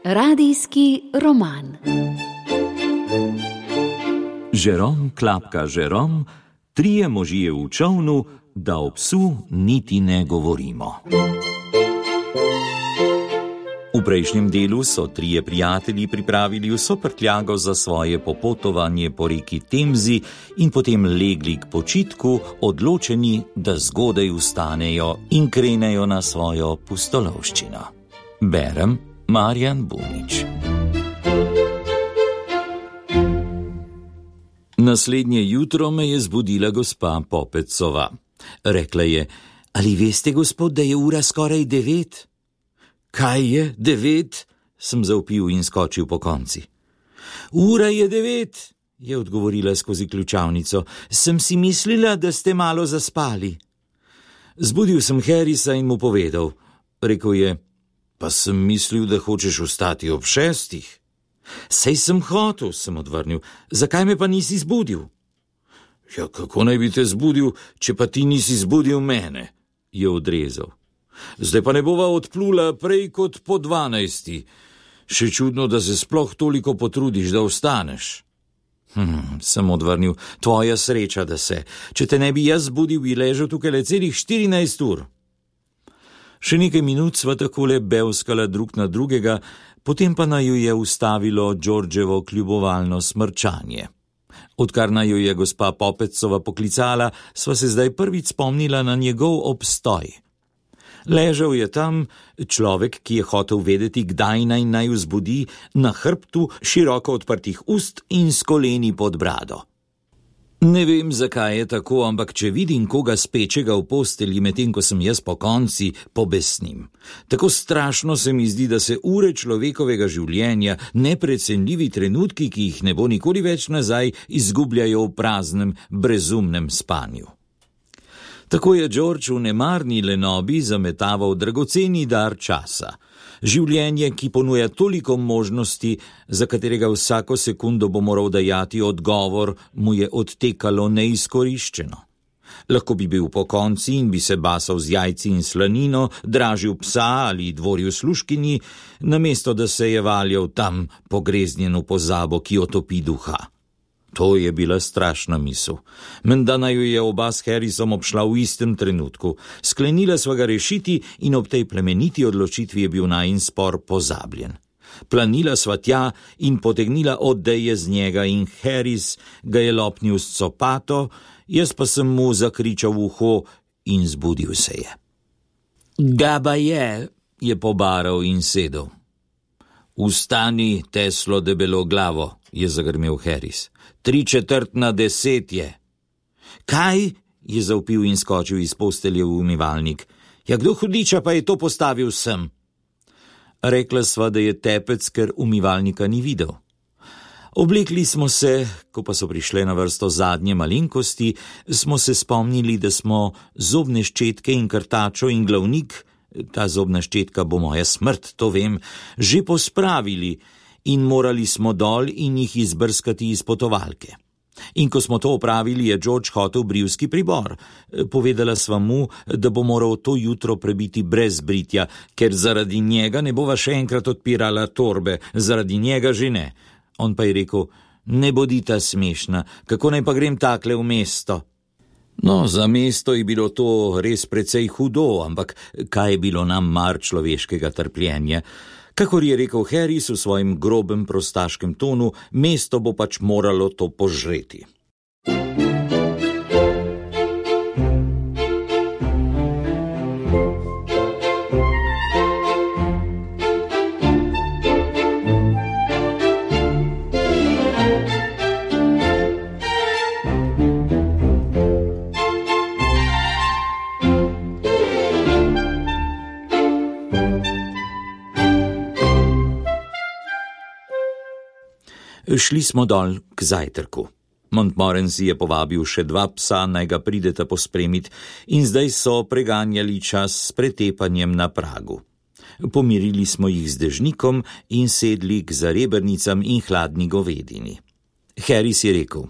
Radijski roman. Žerom klapka Žerom, trije možje v čolnu, da o psu niti ne govorimo. V prejšnjem delu so trije prijatelji pripravili vso prtljago za svoje popotovanje po reki Temzi in potem legli k počitku, odločeni, da zgodaj vstanejo in krenejo na svojo pustolovščino. Berem Marjan Bunič. Naslednje jutro me je zbudila gospa Popecova. Rekla je: ali veste, gospod, da je ura skoraj 9? Kaj je 9? Sem zavpil in skočil po konci. Ura je 9, je odgovorila skozi ključavnico. Sem si mislila, da ste malo zaspali. Zbudil sem Harrisa in mu povedal. Rekel je: pa sem mislil, da hočeš vstati ob 6. Sej sem hotel, sem odvrnil. Zakaj me pa nisi zbudil? Ja, kako naj bi te zbudil, če pa ti nisi zbudil mene, je odrezal. Zdaj pa ne bova odplula prej kot po 12. Še čudno, da se sploh toliko potrudiš, da vstaneš. Sem odvrnil. Tvoja sreča, da se. Če te ne bi jaz zbudil, bi ležal tukaj le celih 14 ur. Še nekaj minut sva takole bevskala drug na drugega, potem pa naju je ustavilo Georgevo kljubovalno smrčanje. Odkar naju je gospa Popecova poklicala, sva se zdaj prvič spomnila na njegov obstoj. Ležal je tam, človek, ki je hotel vedeti, kdaj naj vzbudi, na hrbtu, široko odprtih ust in s koleni pod brado. Ne vem, zakaj je tako, ampak če vidim koga spečega v postelji, medtem ko sem jaz po konci, pobesnim. Tako strašno se mi zdi, da se ure človekovega življenja, neprecenljivi trenutki, ki jih ne bo nikoli več nazaj, izgubljajo v praznem, brezumnem spanju. Tako je George v nemarni lenobi zametaval dragoceni dar časa. Življenje, ki ponuja toliko možnosti, za katerega vsako sekundo bo moral dajati odgovor, mu je odtekalo neizkoriščeno. Lahko bi bil pokonci in bi se basal z jajci in slanino, dražil psa ali dvoril služkinji, namesto da se je valjal tam pogreznjen v pozabo, ki otopi duha. To je bila strašna misel. Menda naju je oba s Harrisom obšla v istem trenutku. Sklenila sva ga rešiti in ob tej plemeniti odločitvi je bil najin spor pozabljen. Planila sva tja in potegnila odeje z njega in Harris ga je lopnil s copato, jaz pa sem mu zakričal v uho in zbudil se je. Gaba je pobaral in sedel. Vstani, Teslo debelo glavo, je zagrmel Harris. 9:45 je. Kaj? Je zavpil in skočil iz postelje v umivalnik. Ja, kdo hudiča pa je to postavil sem? Rekla sva, da je tepec, ker umivalnika ni videl. Oblekli smo se, ko pa so prišle na vrsto zadnje malenkosti, smo se spomnili, da smo zobne ščetke in krtačo in glavnik, ta zobna ščetka bo moja smrt, to vem, že pospravili in morali smo dol in jih izbrskati iz potovalke. In ko smo to opravili, je George hotel brivski pribor. Povedala sva mu, da bo moral to jutro prebiti brez britja, ker zaradi njega ne bova še enkrat odpirala torbe, zaradi njega že ne. On pa je rekel: ne bodita smešna, kako naj pa grem takle v mesto? No, za mesto je bilo to res precej hudo, ampak kaj je bilo nam mar človeškega trpljenja? Kakor je rekel Harris v svojem grobem prostaškem tonu, mesto bo pač moralo to požreti. Šli smo dol k zajtrku. Montmorency je povabil še 2 psa, naj ga prideta pospremit, in zdaj so preganjali čas s pretepanjem na pragu. Pomirili smo jih z dežnikom in sedli k zarebrnicam in hladni govedini. Harris je rekel: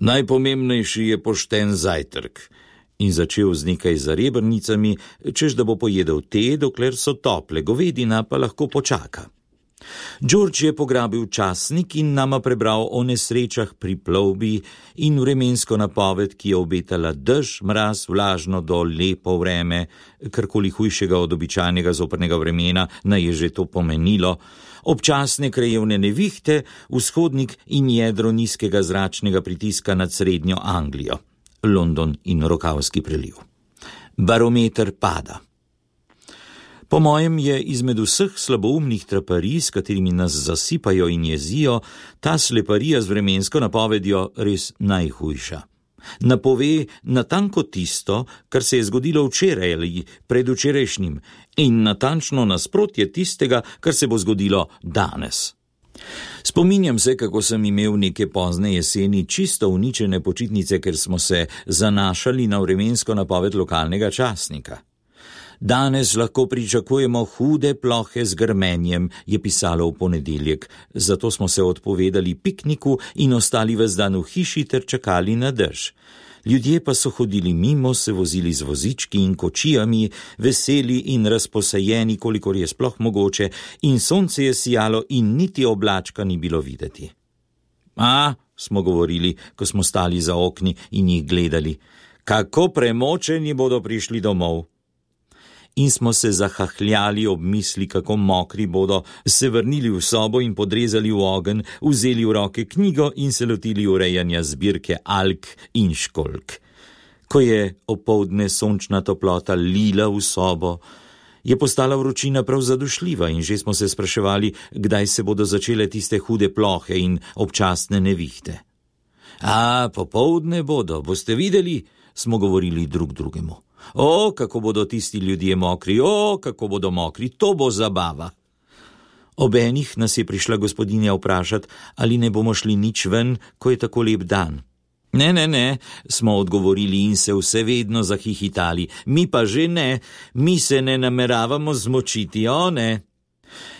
najpomembnejši je pošten zajtrk. In začel z nekaj zarebrnicami, češ da bo pojedel te, dokler so tople, govedina pa lahko počaka. George je pograbil časnik in nama prebral o nesrečah pri plovbi in vremensko napoved, ki je obetala dež, mraz, vlažno do lepo vreme, karkoli hujšega od običajnega zoprnega vremena naj je že to pomenilo, občasne krajevne nevihte, vzhodnik in jedro nizkega zračnega pritiska nad srednjo Anglijo, London in Rokavski preliv. Barometer pada. Po mojem je izmed vseh slaboumnih traparij, s katerimi nas zasipajo in jezijo, ta sleparija z vremensko napovedjo res najhujša. Napove natanko tisto, kar se je zgodilo včeraj ali predvčerajšnjim, in natančno nasprotje tistega, kar se bo zgodilo danes. Spominjam se, kako sem imel neke pozne jeseni čisto uničene počitnice, ker smo se zanašali na vremensko napoved lokalnega časnika. Danes lahko pričakujemo hude plohe z grmenjem, je pisalo v ponedeljek, zato smo se odpovedali pikniku in ostali ves dan v hiši ter čakali na dež. Ljudje pa so hodili mimo, se vozili z vozički in kočijami, veseli in razposajeni, kolikor je sploh mogoče, in sonce je sijalo in niti oblačka ni bilo videti. Smo govorili, ko smo stali za okni in jih gledali, kako premočeni bodo prišli domov. In smo se zahahljali ob misli, kako mokri bodo, se vrnili v sobo in podrezali v ogenj, vzeli v roke knjigo in se lotili urejanja zbirke alk in školjk. Ko je opoldne sončna toplota lila v sobo, je postala vročina prav zadušljiva in že smo se spraševali, kdaj se bodo začele tiste hude plohe in občasne nevihte. Popoldne bodo, boste videli, smo govorili drug drugemu. Kako bodo tisti ljudje mokri, kako bodo mokri, to bo zabava. Ob enih nas je prišla gospodinja vprašati, ali ne bomo šli nič ven, ko je tako lep dan. Ne, smo odgovorili in se vse vedno zahihitali, mi pa že ne, mi se ne nameravamo zmočiti, ne.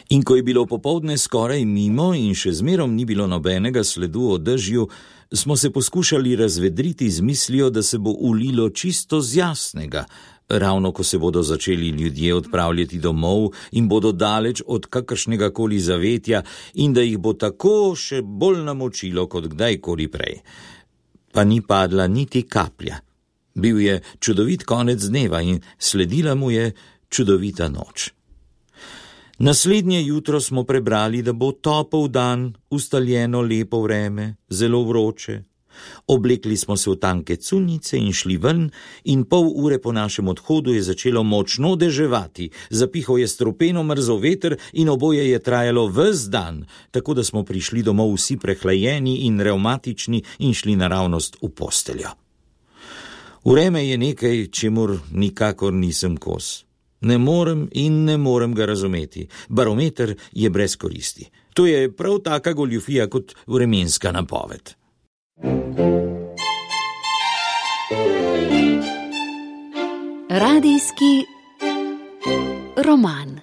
In ko je bilo popoldne skoraj mimo in še zmerom ni bilo nobenega sledu o dežju, smo se poskušali razvedriti z mislijo, da se bo ulilo čisto z jasnega, ravno ko se bodo začeli ljudje odpravljati domov in bodo daleč od kakršnega koli zavetja in da jih bo tako še bolj namočilo kot kdajkoli prej. Pa ni padla niti kaplja. Bil je čudovit konec dneva in sledila mu je čudovita noč. Naslednje jutro smo prebrali, da bo topel dan, ustaljeno lepo vreme, zelo vroče. Oblekli smo se v tanke cunjice in šli ven in pol ure po našem odhodu je začelo močno deževati, zapihal je strupeno mrzel veter in oboje je trajalo ves dan, tako da smo prišli domov vsi prehlajeni in revmatični in šli naravnost v posteljo. Vreme je nekaj, čemur nikakor nisem kos. Ne morem ga razumeti. Barometer je brez koristi. To je prav taka goljufija kot vremenska napoved. Radijski roman.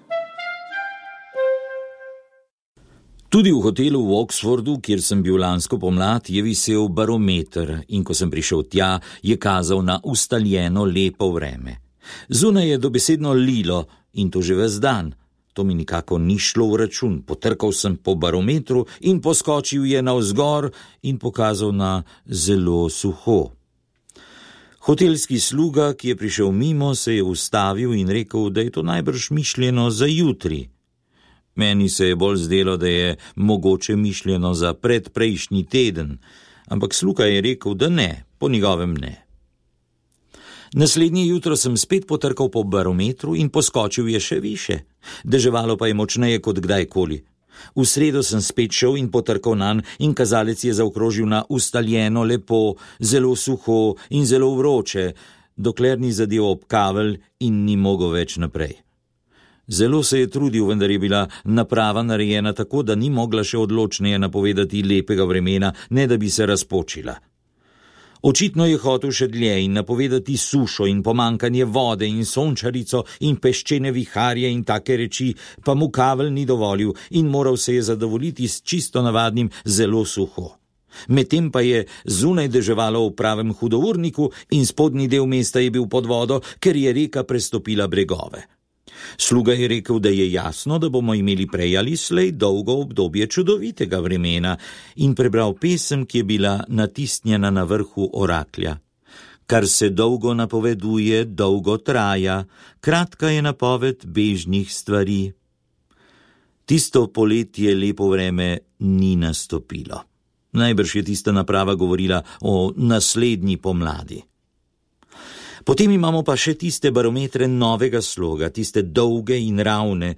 Tudi v hotelu v Oxfordu, kjer sem bil lansko pomlad, je visel barometer in ko sem prišel tja, je kazal na ustaljeno lepo vreme. Zunaj je dobesedno lilo in to že ves dan. To mi nikako ni šlo v račun. Potrkal sem po barometru in poskočil je navzgor in pokazal na zelo suho. Hotelski sluga, ki je prišel mimo, se je ustavil in rekel, da je to najbrž mišljeno za jutri. Meni se je bolj zdelo, da je mogoče mišljeno za predprejšnji teden, ampak sluga je rekel, da ne, po njegovem ne. Naslednje jutro sem spet potrkal po barometru in poskočil je še više. Deževalo pa je močneje kot kdajkoli. V sredo sem spet šel in potrkal nanj in kazalec je zaokrožil na ustaljeno lepo, zelo suho in zelo vroče, dokler ni zadev ob kavelj in ni mogel več naprej. Zelo se je trudil, vendar je bila naprava narejena tako, da ni mogla še odločneje napovedati lepega vremena, ne da bi se razpočila. Očitno je hotel še dlje in napovedati sušo in pomankanje vode in sončarico in peščene viharje in take reči, pa mu kavelj ni dovolil in moral se je zadovoljiti s čisto navadnim zelo suho. Medtem pa je zunaj deževalo v pravem hudourniku in spodnji del mesta je bil pod vodo, ker je reka prestopila bregove. Sluga je rekel, da je jasno, da bomo imeli prej ali slej dolgo obdobje čudovitega vremena, in prebral pesem, ki je bila natisnjena na vrhu oraklja. Kar se dolgo napoveduje, dolgo traja, kratka je napoved bežnih stvari. Tisto poletje lepo vreme ni nastopilo. Najbrž je tista naprava govorila o naslednji pomladi. Potem imamo pa še tiste barometre novega sloga, tiste dolge in ravne,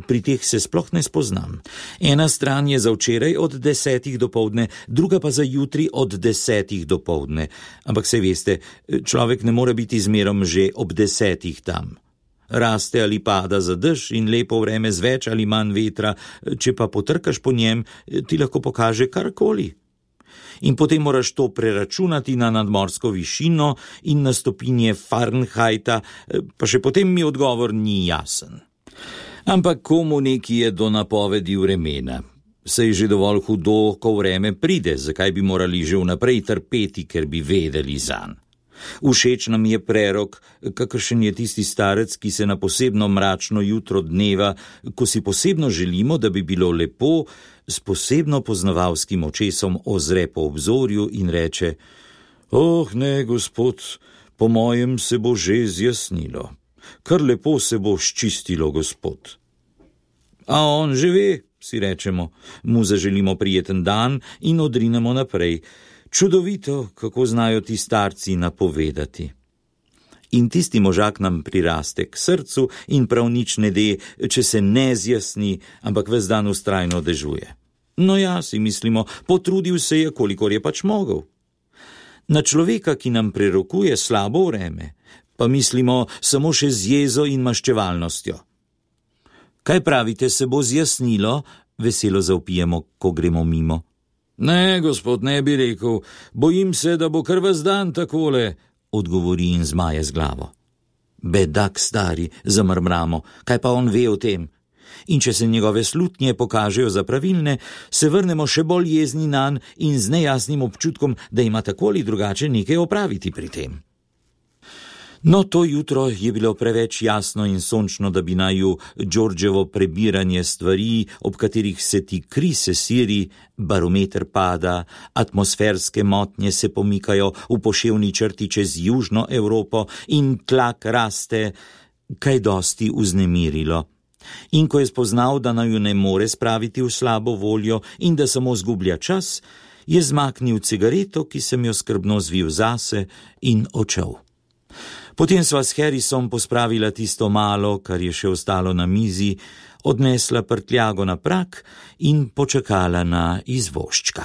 pri teh se sploh ne spoznam. Ena stran je za včeraj od 10 dopoldne, druga pa za jutri od 10 dopoldne. Ampak saj veste, človek ne more biti zmerom že ob 10 tam. Raste ali pada za dež in lepo vreme z več ali manj vetra, če pa potrkaš po njem, ti lahko pokaže karkoli. In potem moraš to preračunati na nadmorsko višino in na stopinje Fahrenheita, pa še potem mi odgovor ni jasen. Ampak komu neki je do napovedi vremena? Saj je že dovolj hudo, ko vreme pride, zakaj bi morali že vnaprej trpeti, ker bi vedeli zanj. Všeč nam je prerok, kakršen je tisti starec, ki se na posebno mračno jutro dneva, ko si posebno želimo, da bi bilo lepo, s posebno poznavalskim očesom ozre po obzorju in reče: "Oh, ne, gospod, po mojem se bo že zjasnilo. Kar lepo se bo ščistilo, gospod." A on že ve, si rečemo, mu zaželimo prijeten dan in odrinemo naprej. Čudovito, kako znajo ti starci napovedati. In tisti možak nam priraste k srcu in prav nič ne de, če se ne zjasni, ampak ves dan vztrajno dežuje. No ja, si mislimo, potrudil se je, kolikor je pač mogel. Na človeka, ki nam prerokuje slabo vreme, pa mislimo samo še z jezo in maščevalnostjo. Kaj pravite, se bo zjasnilo? Veselo zavpijemo, ko gremo mimo. Ne, gospod, ne bi rekel, bojim se, da bo kar ves dan takole, odgovori in zmaje z glavo. Bedak stari, zamrmramo, kaj pa on ve o tem? In če se njegove slutnje pokažejo za pravilne, se vrnemo še bolj jezni nanj in z nejasnim občutkom, da ima tako ali drugače nekaj opraviti pri tem. No, to jutro je bilo preveč jasno in sončno, da bi naju Georgeovo prebiranje stvari, ob katerih se ti kri sesiri, barometer pada, atmosferske motnje se pomikajo v poševni črti čez južno Evropo in tlak raste, kaj dosti vznemirilo. In ko je spoznal, da naju ne more spraviti v slabo voljo in da samo zgublja čas, je zmaknil cigareto, ki sem jo skrbno zvil zase, in odšel. Potem sva s Harrisom pospravila tisto malo, kar je še ostalo na mizi, odnesla prtljago na prak in počakala na izvožčka.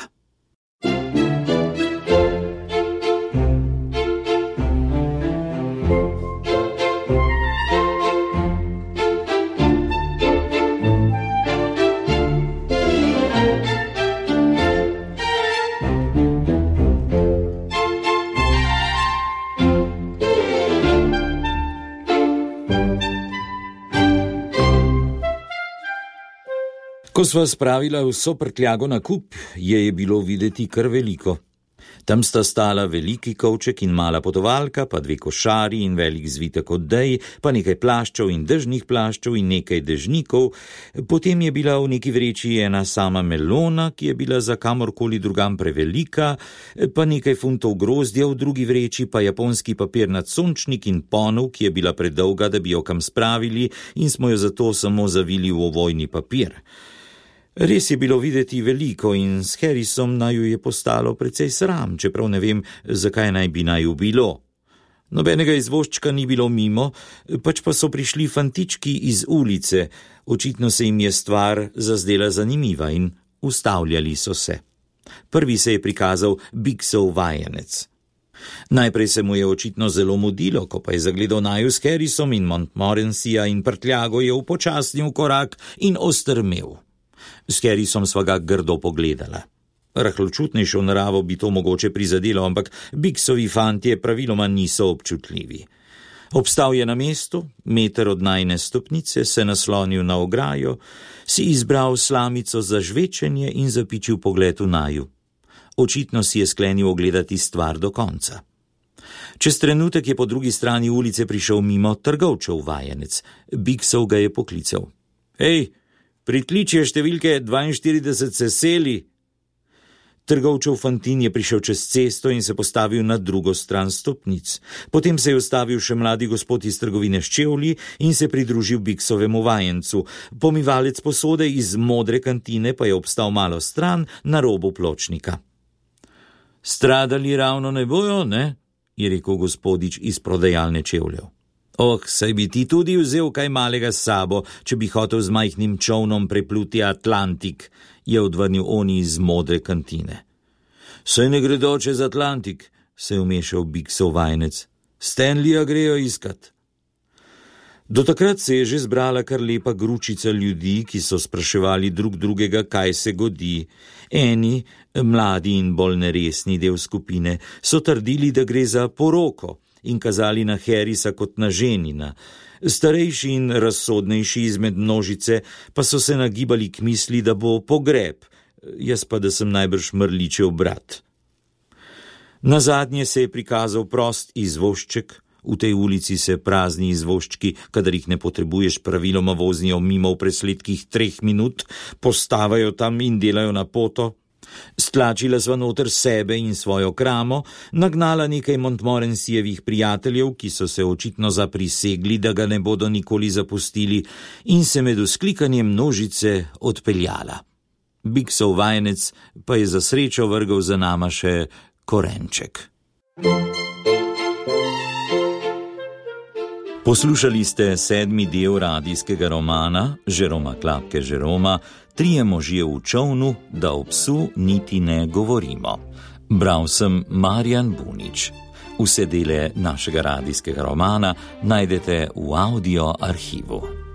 Ko sva spravila vso prtljago na kup, je bilo videti kar veliko. Tam sta stala veliki kovček in mala potovalka, pa 2 košari in velik zvitek odej, pa nekaj plaščev in dežnih plaščev in nekaj dežnikov. Potem je bila v neki vreči ena sama melona, ki je bila za kamorkoli drugam prevelika, pa nekaj funtov grozdja v drugi vreči, pa japonski papirnat sončnik in ponev, ki je bila predolga, da bi jo kam spravili, in smo jo zato samo zavili v ovojni papir. Res je bilo videti veliko in s Harrisom naju je postalo precej sram, čeprav ne vem, zakaj naj bi naju bilo. Nobenega izvožčka ni bilo mimo, pač pa so prišli fantički iz ulice, očitno se jim je stvar zazdela zanimiva in ustavljali so se. Prvi se je prikazal Biksov vajenec. Najprej se mu je očitno zelo mudilo, ko pa je zagledal naju s Harrisom in Montmorencyja in prtljago je upočasnil korak in ostrmel. S Harrisom sva ga grdo pogledala. Rahločutnejšo naravo bi to mogoče prizadelo, ampak Biksovi fantje praviloma niso občutljivi. Obstal je na mestu, meter od najne stopnice, se naslonil na ograjo, si izbral slamico za žvečenje in zapičil pogled v naju. Očitno si je sklenil ogledati stvar do konca. Čez trenutek je po drugi strani ulice prišel mimo trgovčev vajenec. Biksov ga je poklical. Hej, pritličje številke 42 se seli. Trgovčev fantin je prišel čez cesto in se postavil na drugo stran stopnic. Potem se je ustavil še mladi gospod iz trgovine s čevlji in se pridružil Biksovemu vajencu. Pomivalec posode iz modre kantine pa je obstal malo stran na robu pločnika. Stradali ravno ne bojo, ne? Je rekel gospodič iz prodajalne čevljev. Saj bi ti tudi vzel kaj malega s sabo, če bi hotel z majhnim čovnom prepluti Atlantik, je odvrnil oni iz modre kantine. Saj ne gredo čez Atlantik, se je vmešal Biksov vajenec. Stanleya grejo iskat. Do takrat se je že zbrala kar lepa gručica ljudi, ki so spraševali drug drugega, kaj se godi. Eni, mladi in bolj neresni del skupine, so trdili, da gre za poroko in kazali na Harrisa kot na ženina. Starejši in razsodnejši izmed množice pa so se nagibali k misli, da bo pogreb, jaz pa da sem najbrž Mrličev brat. Nazadnje se je prikazal prost izvošček. V tej ulici se prazni izvoščki, kadar jih ne potrebuješ, praviloma vozijo mimo v presledkih 3 minut, postavajo tam in delajo na poto. Stlačila sva noter sebe in svojo kramo, nagnala nekaj Montmorencyjevih prijateljev, ki so se očitno zaprisegli, da ga ne bodo nikoli zapustili, in se med vzklikanjem množice odpeljala. Biksov vajenec pa je za srečo vrgel za nama še korenček. Poslušali ste 7. del radijskega romana Žeroma Klapke Žeroma Trije možje v čovnu, da o psu niti ne govorimo. Bral sem Marjan Bunič. Vse dele našega radijskega romana najdete v audio arhivu.